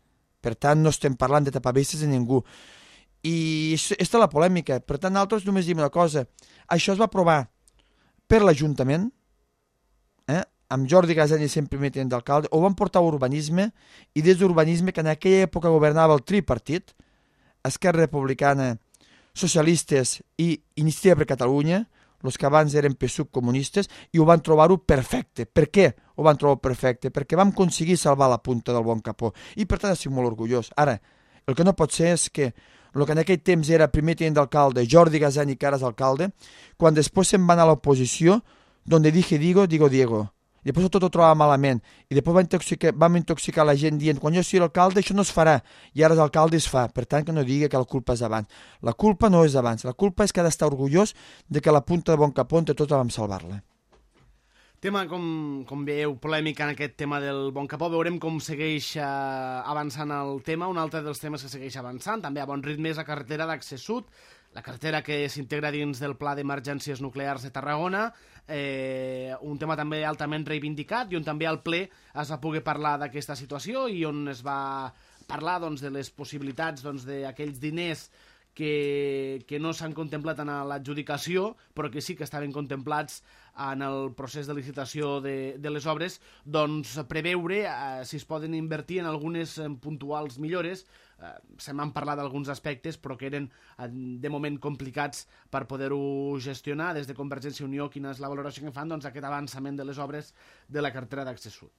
per tant no estem parlant de tapar vistes de ningú. I aquesta és la polèmica. Per tant, nosaltres només diem una cosa. Això es va aprovar per l'Ajuntament, eh? Amb Jordi Gazani sempre primer tinent d'alcalde, ho van portar a urbanisme, i des d'urbanisme, que en aquella època governava el tripartit, Esquerra Republicana, Socialistes i Iniciativa per Catalunya, els que abans eren P S U C comunistes, i ho van trobar-ho perfecte. Per què ho van trobar perfecte? Perquè vam aconseguir salvar la Punta del Bon Capó, i per tant estic molt orgullós. Ara, el que no pot ser és que el que en aquell temps era primer tinent d'alcalde, Jordi Gazani, que ara és alcalde, quan després se'n va anar a l'oposició, donde dije digo, digo Diego. I després tot ho trobava malament. I després vam intoxicar, vam intoxicar la gent dient, quan jo sigui l'alcalde això no es farà. I ara és alcalde i es fa. Per tant, que no digui que la culpa és d'abans. La culpa no és d'abans. La culpa és que ha d'estar orgullós de que la Punta de Bon Capó, entre tots, vam salvar-la. Tema, com, com veieu, polèmica en aquest tema del Bon Capó. Veurem com segueix eh, avançant el tema. Un altre dels temes que segueix avançant, també a bon ritme, és la carretera d'accés sud, la carretera que s'integra dins del Pla d'Emergències Nuclears de Tarragona, eh, un tema també altament reivindicat i on també al ple es va poder parlar d'aquesta situació i on es va parlar doncs, de les possibilitats doncs, d'aquells diners que, que no s'han contemplat en l'adjudicació, però que sí que estaven contemplats en el procés de licitació de, de les obres, doncs preveure eh, si es poden invertir en algunes eh, puntuals millores. Eh, se m'han parlat d'alguns aspectes, però que eren eh, de moment complicats per poder-ho gestionar. Des de Convergència i Unió, quina és la valoració que fan doncs, aquest avançament de les obres de la carretera d'accés sud?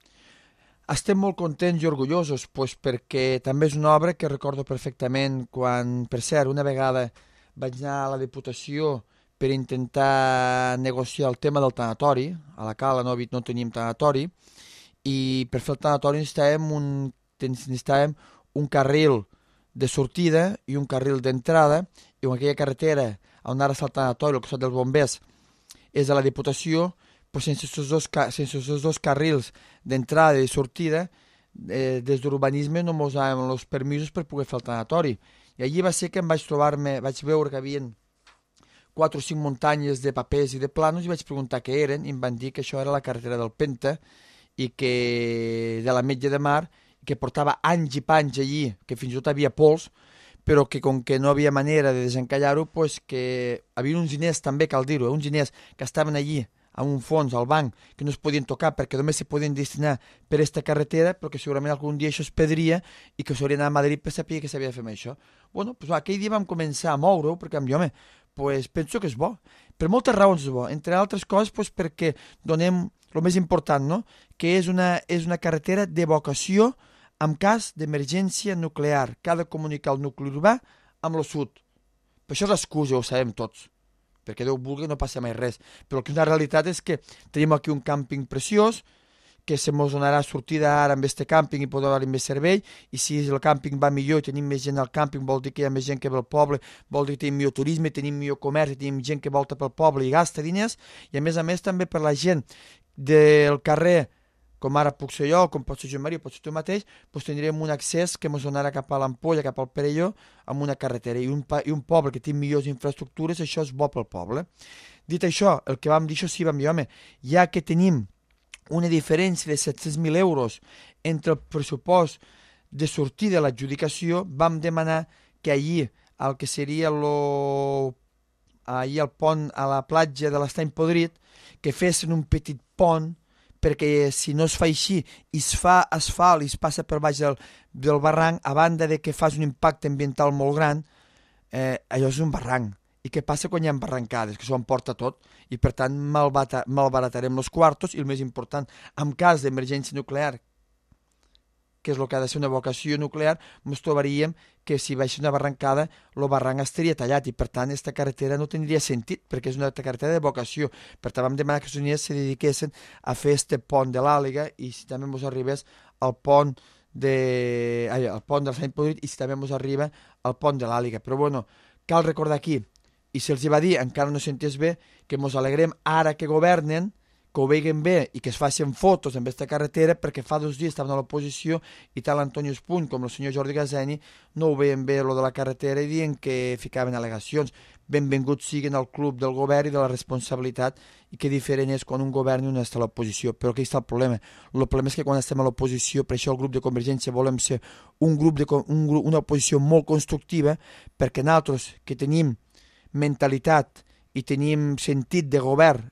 Estem molt contents i orgullosos, doncs, perquè també és una obra que recordo perfectament quan, per cert, una vegada vaig anar a la Diputació per intentar negociar el tema del tanatori. A la Cala no, no teníem tanatori, i per fer el tanatori necessitàvem un, necessitàvem un carril de sortida i un carril d'entrada, i en aquella carretera on ara està el tanatori, al costat dels bombers, és a la Diputació, però sense aquests dos, sense aquests dos carrils d'entrada i sortida, eh, des d'urbanisme no mos daven els permisos per poder fer el tanatori. I allí va ser que em vaig trobar-me, vaig veure que havien quatre o cinc muntanyes de papers i de planos i vaig preguntar què eren i em van dir que això era la carretera del Penta i que de l'Ametlla de Mar, que portava anys i panys allí, que fins i tot havia pols, però que com que no havia manera de desencallar-ho, pues que havia uns diners també, cal dir-ho, eh, uns diners que estaven allí a un fons, al banc, que no es podien tocar perquè només se podien destinar per aquesta carretera, però que segurament algun dia això es perdria i que s'hauria d'anar a Madrid per saber que s'havia de fer amb això. Bueno, pues, aquell dia vam començar a moure-ho, perquè amb jo, home, pues, penso que és bo. Per moltes raons és bo, entre altres coses pues, perquè donem el més important, no? Que és una, és una carretera d'evacuació en cas d'emergència nuclear, que ha de comunicar el nucli urbà amb el sud. Per això és l'excusa, ho sabem tots, perquè Déu vulgui no passa mai res. Però el que és una realitat és que tenim aquí un càmping preciós, que se mos donarà sortida ara amb este càmping i podrà donar més servei, i si el càmping va millor i tenim més gent al càmping, vol dir que hi ha més gent que ve al poble, vol dir que tenim millor turisme, tenim millor comerç, tenim gent que volta pel poble i gasta diners, i a més a més també per la gent del carrer, com ara puc ser jo, com pot ser Joan Maria, pot ser tu mateix, doncs tindrem un accés que ens donarà cap a l'Ampolla, cap al Perelló, amb una carretera. I un, I un poble que té millors infraestructures, això és bo pel poble. Dit això, el que vam dir, això sí, vam dir, home, ja que tenim una diferència de set-cents mil euros entre el pressupost de sortir de l'adjudicació, vam demanar que allí, el que seria lo, allí al pont, a la platja de l'Estany Podrit, que fessin un petit pont, perquè si no es fa així i es fa asfalt i es passa per baix del, del barranc, a banda de que fas un impacte ambiental molt gran, eh, allò és un barranc. I què passa quan hi ha barrancades? Que s'ho emporta tot i per tant malbaratarem els quartos i el més important, en cas d'emergència nuclear, que és el que ha de ser una evacuació nuclear, ens trobaríem que si baixés una barrancada, el barranc estaria tallat i per tant aquesta carretera no tindria sentit perquè és una carretera d'evacuació. Per tant vam demanar que els units se dediquessin a fer este pont de l'Àliga i si també ens arribés al pont de... Ai, al pont del Sant Podrit i si també ens arriba al pont de l'Àliga. Però bueno, cal recordar aquí, i se'ls va dir, encara no s'entès bé, que ens alegrem ara que governen, que ho veguen bé i que es facin fotos amb aquesta carretera perquè fa dos dies estaven a l'oposició i tant l'Antonio Espuny com el senyor Jordi Gazeni no ho veien bé lo de la carretera i diuen que ficaven al·legacions. Benvinguts siguin al club del govern i de la responsabilitat i que diferent és quan un govern i un està a l'oposició. Però aquí està el problema. El problema és que quan estem a l'oposició, per això el grup de Convergència volem ser un grup de, un grup, una oposició molt constructiva perquè nosaltres que tenim mentalitat i tenim sentit de govern,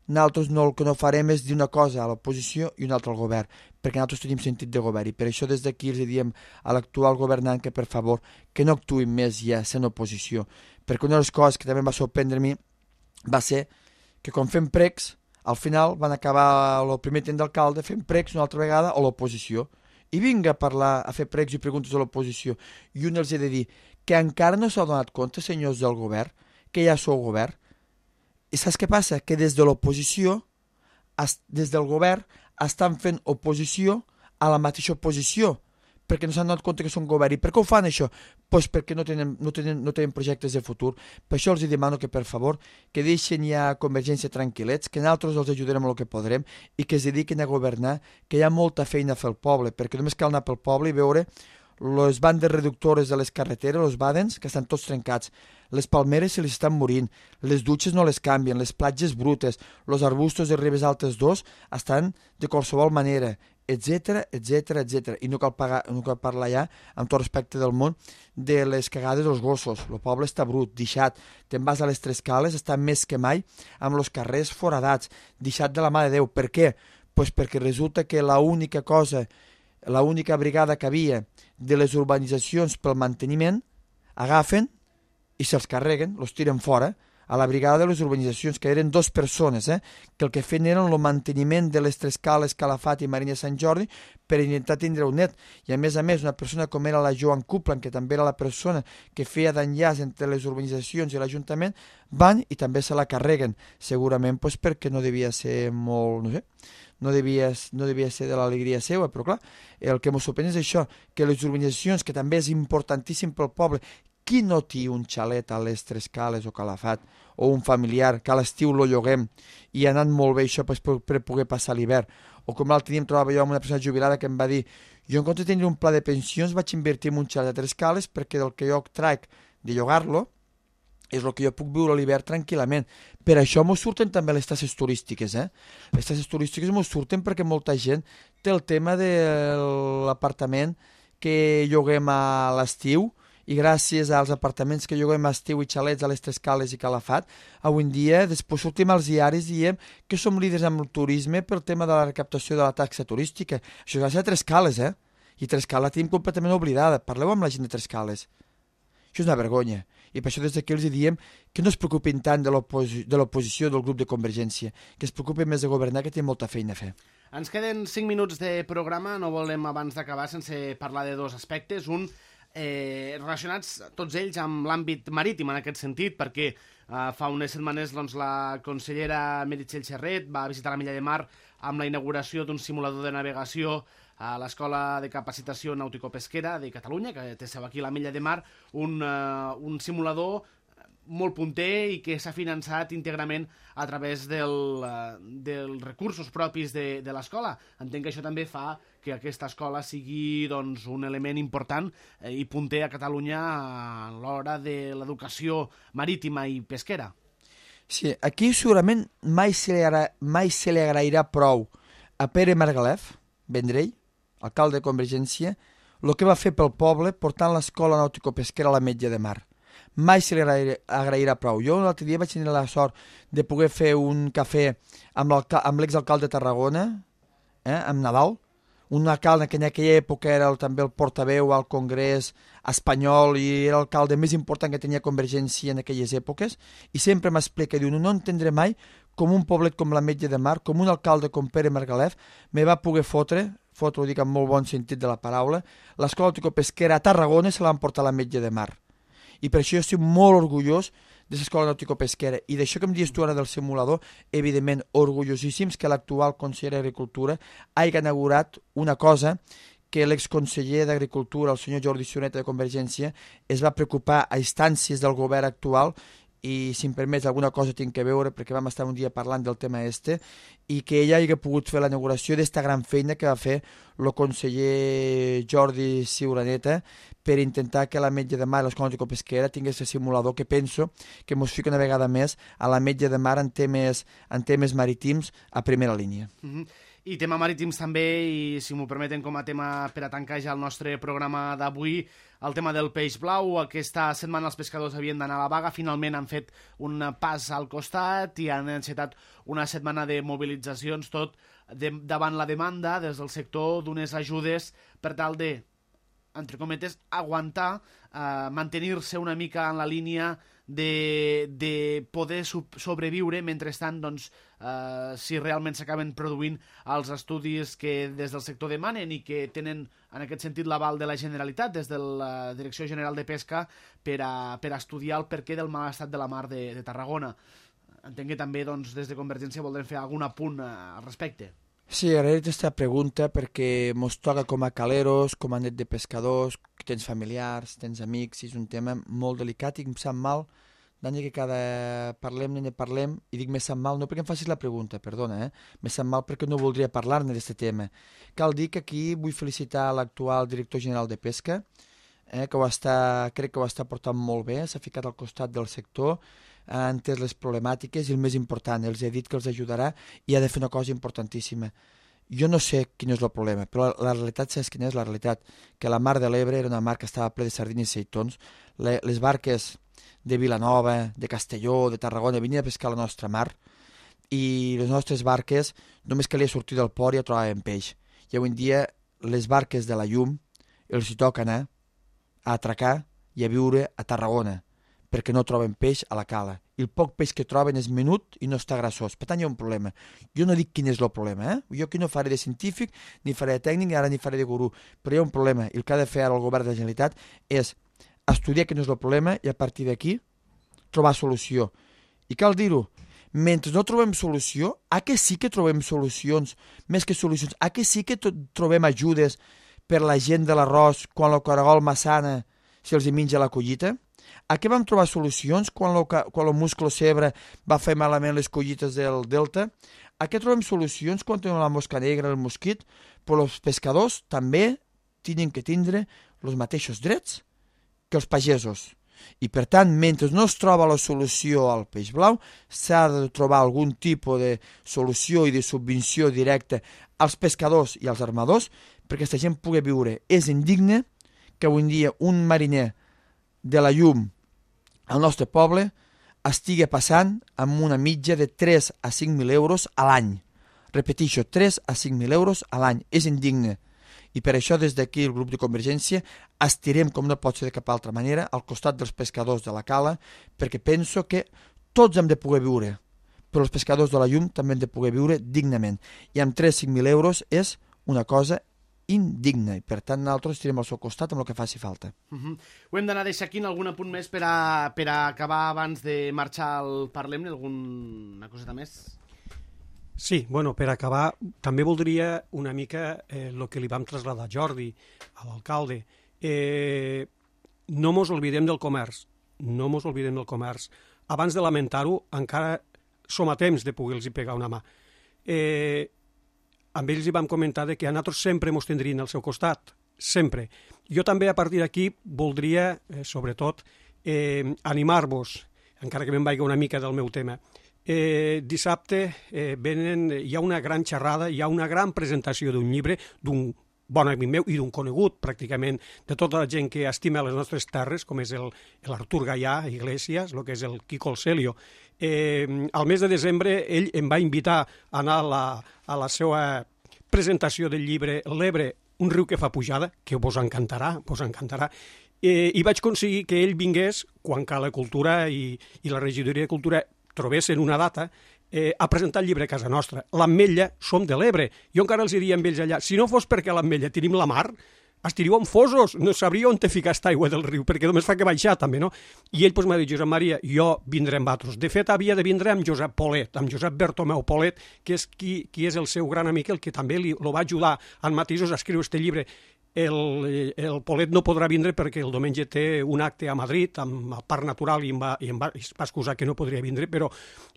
nosaltres no, el que no farem és dir una cosa a l'oposició i una altra al govern, perquè nosaltres tenim sentit de govern i per això des d'aquí els diem a l'actual governant que per favor que no actuïn més ja sent oposició, perquè una de les coses que també em va sorprendre a mi va ser que quan fem pregs al final van acabar el primer temps d'alcalde fent pregs una altra vegada a l'oposició i vinga a parlar, a fer pregs i preguntes a l'oposició i un els ha de dir que encara no s'ha donat compte, senyors del govern, que ja sou govern. I saps què passa? Que des de l'oposició, des del govern, estan fent oposició a la mateixa oposició, perquè no s'han donat compte que són govern. I per què ho fan això? Pues perquè no tenen, no, tenen, no tenen projectes de futur. Per això els demano que, per favor, que deixen ja Convergència tranquil·lets, que nosaltres els ajudarem el que podrem i que es dediquin a governar, que hi ha molta feina a fer al poble, perquè només cal anar pel poble i veure les bandes reductores de les carreteres, els badens, que estan tots trencats. Les palmeres se les estan morint, les dutxes no les canvien, les platges brutes, els arbustos de ribes altes dos estan de qualsevol manera, etcètera, etcètera, etcètera. I no cal, pagar, no cal parlar ja, amb tot respecte del món, de les cagades dels gossos. El poble està brut, deixat. Te'n vas a les Tres Cales, està més que mai, amb els carrers foradats, deixat de la mà de Déu. Per què? Pues perquè resulta que l'única cosa, l'única brigada que havia de les urbanitzacions pel manteniment, agafen i se'ls carreguen, els tiren fora, a la brigada de les urbanitzacions, que eren dues persones, eh, que el que feien eren el manteniment de les Tres Cales, Calafat i Marina Sant Jordi per intentar tindre un net. I a més a més, una persona com era la Joan Cuplan, que també era la persona que feia d'enllaç entre les urbanitzacions i l'Ajuntament, van i també se la carreguen, segurament pues, perquè no devia ser molt, no sé, no devia, no devia ser de l'alegria seva, però clar, el que ens sorprèn és això, que les urbanitzacions, que també és importantíssim pel poble, qui no té un xalet a les Tres Cales o Calafat, o un familiar que a l'estiu lo lloguem i ha anat molt bé això per, per poder passar l'hivern. O com l'altre dia em trobava jo amb una persona jubilada que em va dir jo en compte de tenir un pla de pensions vaig invertir en un xalet a Tres Cales perquè del que jo traic de llogar-lo és el que jo puc viure a l'hivern tranquil·lament. Per això m'ho surten també les tasses turístiques. Eh? Les tasses turístiques m'ho surten perquè molta gent té el tema de l'apartament que lloguem a l'estiu i gràcies als apartaments que lloguem a estiu i xalets a les Tres Cales i Calafat, avui en dia, després sortim als diaris i diem que som líders amb el turisme pel tema de la recaptació de la taxa turística. Això és gràcies a Tres Cales, eh? I Tres Cales la tenim completament oblidada. Parleu amb la gent de Tres Cales. Això és una vergonya. I per això des d'aquí els diem que no es preocupin tant de l'oposició del grup de Convergència, que es preocupin més de governar, que té molta feina a fer. Ens queden cinc minuts de programa, no volem abans d'acabar sense parlar de dos aspectes. Un, eh, relacionats tots ells amb l'àmbit marítim en aquest sentit, perquè eh, fa unes setmanes doncs, la consellera Meritxell Serret va visitar la Milla de Mar amb la inauguració d'un simulador de navegació a l'Escola de Capacitació Nàutico-Pesquera de Catalunya, que té seu aquí a la Milla de Mar, un, uh, un simulador molt punter i que s'ha finançat íntegrament a través del, uh, dels recursos propis de, de l'escola. Entenc que això també fa que aquesta escola sigui doncs, un element important eh, i punter a Catalunya a l'hora de l'educació marítima i pesquera. Sí, aquí segurament mai se li, agra... mai se li agrairà prou a Pere Margalef, Vendrell, alcalde de Convergència, el que va fer pel poble portant l'escola nàutico-pesquera a la Metge de Mar. Mai se li agrairà prou. Jo l'altre dia vaig tenir la sort de poder fer un cafè amb l'exalcalde de Tarragona, eh, amb Nadal, un alcalde que en aquella època era el, també el portaveu al Congrés espanyol i era l'alcalde més important que tenia Convergència en aquelles èpoques, i sempre m'explica, diu, no entendré mai com un poblet com la Metge de Mar, com un alcalde com Pere Margalef, me va poder fotre, fotre ho dic en molt bon sentit de la paraula, l'escola nàutico-pesquera a Tarragona se la van portar a la Metge de Mar. I per això jo estic molt orgullós de l'escola nàutico-pesquera. I d'això que em dius tu ara del simulador, evidentment orgullosíssims que l'actual conseller d'Agricultura hagi inaugurat una cosa que l'exconseller d'Agricultura, el senyor Jordi Sioneta de Convergència, es va preocupar a instàncies del govern actual i, si em permets, alguna cosa tinc que veure perquè vam estar un dia parlant del tema este i que ella hagi pogut fer l'inauguració d'esta gran feina que va fer el conseller Jordi Sioneta per intentar que la Metge de Mar i l'escola nàutico-pesquera tingués el simulador que penso que ens fica una vegada més a la Metge de Mar en temes, en temes marítims a primera línia. Mm-hmm. I tema marítims també, i si m'ho permeten com a tema per a tancar ja el nostre programa d'avui, el tema del peix blau. Aquesta setmana els pescadors havien d'anar a la vaga, finalment han fet un pas al costat i han encetat una setmana de mobilitzacions, tot de, davant la demanda des del sector d'unes ajudes per tal de, entre cometes, aguantar, eh, mantenir-se una mica en la línia de, de poder sobreviure, mentrestant, doncs, eh, si realment s'acaben produint els estudis que des del sector demanen i que tenen, en aquest sentit, l'aval de la Generalitat, des de la Direcció General de Pesca, per a, per a estudiar el perquè del mal estat de la mar de, de Tarragona. Entenc que també, doncs, des de Convergència voldrem fer algun apunt al respecte. Sí, agrair aquesta pregunta perquè mos toca com a caleros, com a net de pescadors, que tens familiars, tens amics, és un tema molt delicat i em sap mal, d'any que cada parlem ne parlem, i dic me sap mal no perquè em facis la pregunta, perdona, eh? me sap mal perquè no voldria parlar-ne d'aquest tema. Cal dir que aquí vull felicitar l'actual director general de Pesca, eh, que ho està, crec que ho està portant molt bé, s'ha ficat al costat del sector, ha entès les problemàtiques i el més important, els he dit que els ajudarà i ha de fer una cosa importantíssima. Jo no sé quin és el problema, però la, la realitat, saps quina és la realitat? Que la Mar de l'Ebre era una mar que estava ple de sardines i seitons, le, les barques de Vilanova, de Castelló, de Tarragona, venien a pescar la nostra mar i les nostres barques només calia sortir del port i ja trobaven peix. I avui en dia les barques de la Llum els hi toca anar a atracar i a viure a Tarragona, perquè no troben peix a la cala. I el poc peix que troben és menut i no està grassós. Per tant, hi ha un problema. Jo no dic quin és el problema, eh? Jo aquí no faré de científic, ni faré de tècnic, ni ara ni faré de gurú. Però hi ha un problema, i el que ha de fer ara el govern de la Generalitat és estudiar quin és el problema i a partir d'aquí trobar solució. I cal dir-ho, mentre no trobem solució, a què sí que trobem solucions, més que solucions, a què sí que trobem ajudes per la gent de l'arròs quan el caragol massana se'ls hi menja la collita? A què vam trobar solucions quan el musclo cebre va fer malament les collites del delta? A què trobem solucions quan tenim la mosca negra, el mosquit? Però els pescadors també tenen que tindre els mateixos drets que els pagesos. I, per tant, mentre no es troba la solució al peix blau, s'ha de trobar algun tipus de solució i de subvenció directa als pescadors i als armadors perquè aquesta gent pugui viure. És indigne que avui en dia un mariner de la llum al nostre poble estigui passant amb una mitja de tres a cinc mil euros a l'any. Repeteixo, tres a cinc mil euros a l'any. És indigne. I per això des d'aquí el grup de Convergència estirem, com no pot ser de cap altra manera, al costat dels pescadors de la cala, perquè penso que tots hem de poder viure, però els pescadors de la llum també hem de poder viure dignament. I amb tres a cinc mil euros és una cosa indigna, i per tant nosaltres estirem al seu costat amb el que faci falta. Uh -huh. Ho hem d'anar deixant aquí en algun apunt més per a, per a acabar abans de marxar al Parlem-ne, alguna coseta més? Sí, bueno, per acabar, també voldria una mica eh, el que li vam traslladar a Jordi, a l'alcalde. Eh, no mos oblidem del comerç, no mos oblidem del comerç. Abans de lamentar-ho, encara som a temps de poder-los pegar una mà. Eh, amb ells hi vam comentar que a nosaltres sempre mos tindrien al seu costat, sempre. Jo també, a partir d'aquí, voldria, eh, sobretot, eh, animar-vos, encara que me'n vagi una mica del meu tema. Eh, dissabte eh, venen, hi ha una gran xerrada, hi ha una gran presentació d'un llibre d'un bon amic meu i d'un conegut, pràcticament, de tota la gent que estima les nostres terres, com és l'Artur Gaià Iglesias, el que és el Quico el Celio. Eh, al mes de desembre ell em va invitar a anar a la, a la seva presentació del llibre L'Ebre, un riu que fa pujada, que vos encantarà, vos encantarà. Eh, I vaig aconseguir que ell vingués, quan Cala Cultura i, i la regidoria de Cultura trobessin una data, eh, a presentar el llibre a casa nostra. L'Ametlla som de l'Ebre. Jo encara els diria amb ells allà, si no fos perquè a l'Ametlla tenim la mar, estiríeu enfosos, no sabríeu on te ficar aquesta aigua del riu, perquè només fa que baixar també, no? I ell pues, m'ha dit, Josep Maria, jo vindré amb altres. De fet, havia de vindre amb Josep Polet, amb Josep Bertomeu Polet, que és qui, qui és el seu gran amic, el que també li, lo va ajudar en matisos a escriure este llibre. El, el Polet no podrà vindre perquè el diumenge té un acte a Madrid amb el Parc Natural i em va, i em va, es va excusar que no podria vindre, però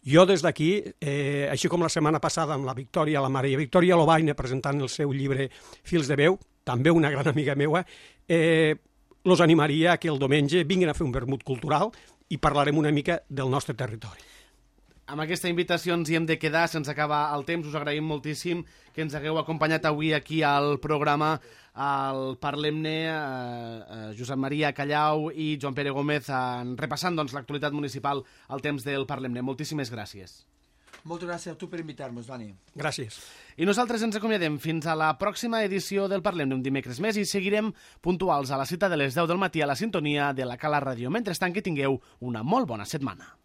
jo des d'aquí, eh, així com la setmana passada amb la Victòria, la Maria Victòria Lobaina presentant el seu llibre Fils de veu, també una gran amiga meua, eh, los animaria que el diumenge vinguin a fer un vermut cultural i parlarem una mica del nostre territori. Amb aquesta invitació ens hi hem de quedar, se'ns acaba el temps, us agraïm moltíssim que ens hagueu acompanyat avui aquí al programa, al Parlem-ne, eh, eh, Josep Maria Callau i Joan Pere Gómez, eh, repassant doncs, l'actualitat municipal al temps del Parlem-ne. Moltíssimes gràcies. Moltes gràcies a tu per invitar-nos, Dani. Gràcies. I nosaltres ens acomiadem fins a la pròxima edició del Parlem-ne un dimecres més i seguirem puntuals a la cita de les deu del matí a la sintonia de la Cala Ràdio. Mentrestant, que tingueu una molt bona setmana.